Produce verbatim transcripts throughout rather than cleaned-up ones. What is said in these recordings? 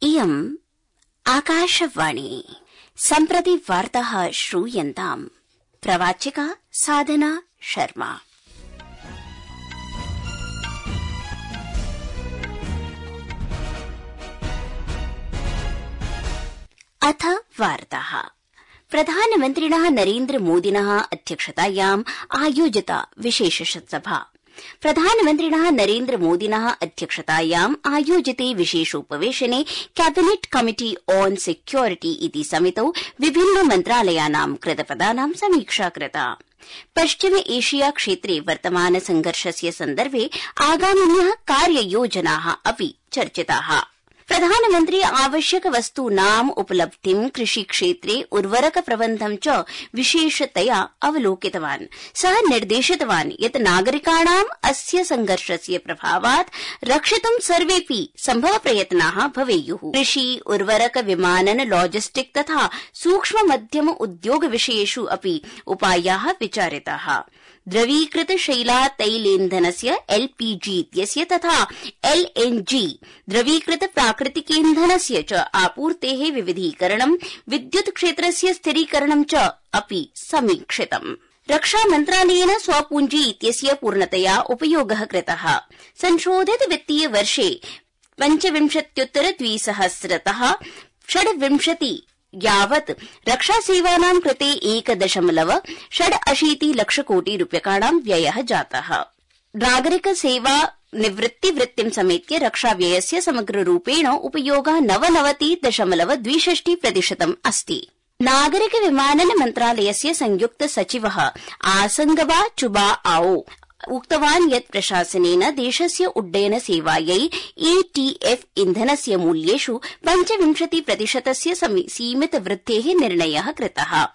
इयम् आकाशवाणी सम्प्रति वार्ताः श्रूयन्ताम्। प्रवाचिका साधना शर्मा। अथ वार्ताः। प्रधानमन्त्रिणः नरेन्द्र मोदिनः अध्यक्षतायाम् आयोजिता विशेषसभा। प्रधानमन्त्रिणः नरेन्द्र मोदिनः अध्यक्षतायाम् आयोजिते विशेषोपवेशने कैबिनेट कमिटी ऑन सिक्योरिटी इति समितौ विभिन्न मन्त्रालयानां कृतपदानां समीक्षा कृता। पश्चिम एशिया क्षेत्रे वर्तमान संघर्षस्य सन्दर्भे आगामिन्यः कार्ययोजनाः अपि चर्चिताः। प्रधानमन्त्री आवश्यक वस्तूनाम् उपलब्धिं कृषिक्षेत्रे उर्वरक प्रबन्धं च विशेषतया अवलोकितवान्। सः निर्देशितवान् यत् नागरिकाणाम् अस्य संघर्षस्य प्रभावात् रक्षितुं सर्वेऽपि सम्भव प्रयत्नाः भवेयुः। कृषि उर्वरक विमानन लॉजिस्टिक तथा सूक्ष्म मध्यम उद्योग विषयेषु अपि उपायाः विचारिताः। द्रवीकृत शैला तैलेन्धनस्य एलपीजी इत्यस्य तथा एलएनजी द्रवीकृत प्राकृतिकेन्धनस्य च आपूर्तेः विविधीकरणं, विद्युत् क्षेत्रस्य स्थिरीकरणं च अपि समीक्षितम्। रक्षा मन्त्रालयेन स्वपूंजी इत्यस्य पूर्णतया उपयोगः कृतः। संशोधित वित्तीय वर्षे पञ्चविंशत्युत्तर द्विसहस्रतः षड्विंशति यावत् रक्षासेवानां कृते एक दशमलव षडशीति लक्षकोटि रूप्यकाणां व्ययः जातः। नागरिक सेवा निवृत्तिवृत्तिं समेत्य रक्षाव्ययस्य समग्ररूपेण उपयोगः नवनवति दशमलव द्विषष्टि प्रतिशतम् अस्ति। नागरिक विमानन मन्त्रालयस्य संयुक्त सचिवः आसंगबा चुबा आओ उक्तवान् यत् प्रशासनेन देशस्य उड्डयन सेवायै एटीएफ इन्धनस्य मूल्येषु पञ्चविंशति प्रतिशतस्य सीमित वृद्धेः निर्णयः कृतः,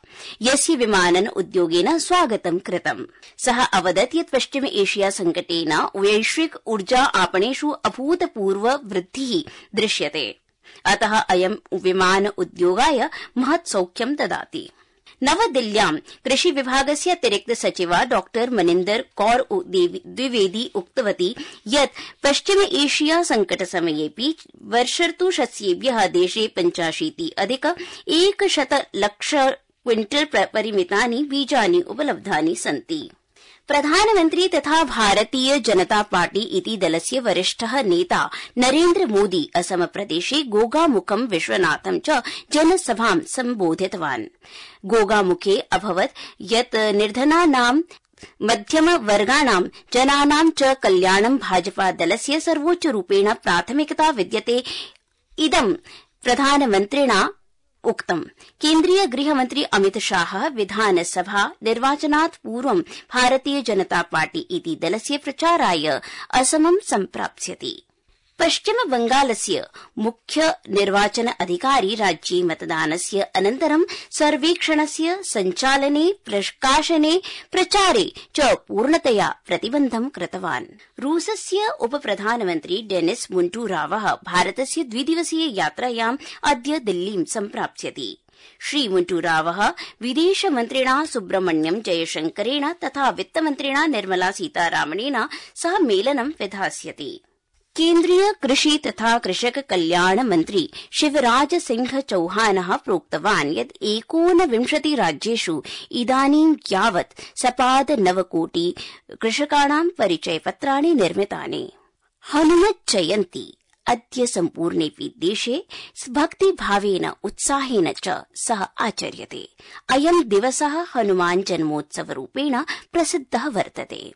यस्य विमानन उद्योगेन स्वागतं कृतम्। सः अवदत् यत् पश्चिम एशिया संकटेन वैश्विक ऊर्जा आपणेषु अभूतपूर्व वृद्धिः दृश्यते, अतः अयं विमान उद्योगाय महत् सौख्यं ददाति। नवदिल्ल्यां कृषि विभागस्य अतिरिक्त सचिवा डॉ मनिन्दर कौर द्विवेदी उक्तवती यत् पश्चिम एशिया संकट समयेऽपि वर्षर्तु शस्येभ्यः देशे पञ्चाशीति अधिक एकशत लक्ष क्विंटल परिमितानि बीजानि उपलब्धानि सन्ति। प्रधानमन्त्री तथा भारतीय जनता पार्टी इति दलस्य वरिष्ठः नेता नरेन्द्र मोदी असम प्रदेशे गोगामुखं विश्वनाथं च जनसभां सम्बोधितवान्। गोगामुखे अभवत् यत् निर्धनानां मध्यम वर्गाणां जनानां च कल्याणं भाजपा दलस्य सर्वोच्चरूपेण प्राथमिकता विद्यते। इदं प्रधानमन्त्रिणा उक्तम्। केन्द्रीय गृहमन्त्री अमित शाह विधानसभा निर्वाचनात् पूर्वं भारतीय जनता पार्टी इति दलस्य प्रचाराय असमं सम्प्राप्स्यति। पश्चिम बंगालस्य मुख्य निर्वाचन अधिकारी राज्ये मतदानस्य अनन्तरं सर्वेक्षणस्य सञ्चालने, प्रकाशने, प्रचारे च पूर्णतया प्रतिबन्धं कृतवान्। रूसस्य उपप्रधानमन्त्री डेनिस मुन्टूरावः भारतस्य द्विदिवसीय यात्रायाम् अद्य दिल्लीं सम्प्राप्स्यति। श्री मुन्टूरावः विदेशमन्त्रिणा सुब्रह्मण्यम् जयशंकरेण तथा वित्तमन्त्रिणा निर्मला सीतारामनेन सह मेलनं विधास्यति। केन्द्रीय कृषि तथा कृषक कल्याण मन्त्री शिवराज सिंह चौहानः प्रोक्तवान् यत् एकोनविंशति राज्येषु इदानीं यावत् सपाद नवकोटि कृषकाणां परिचयपत्राणि निर्मितानि। हनुमत् जयन्ती अद्य सम्पूर्णेऽपि देशे भक्तिभावेन उत्साहेन च सह आचर्यते। अयं दिवसः हनुमान् जन्मोत्सवरूपेण प्रसिद्धः वर्तते।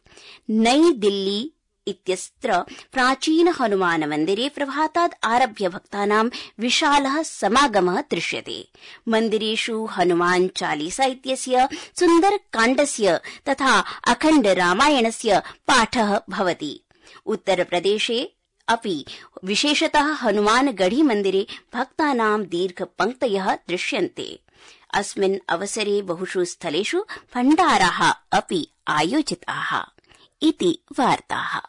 नई दिल्ली इत्यत्र प्राचीन हनुमान मन्दिरे प्रभातात् आरभ्य भक्तानां विशालः समागमः दृश्यते। मन्दिरेषु हनुमान चालीसा इत्यस्य सुन्दरकाण्डस्य तथा अखण्ड रामायणस्य पाठः भवति। उत्तरप्रदेशे अपि विशेषतः हनुमानगढ़ी मन्दिरे भक्तानां दीर्घपङ्क्तयः दृश्यन्ते। अस्मिन् अवसरे बहुषु स्थलेषु भण्डाराः अपि आयोजिताः। इति वार्ताः।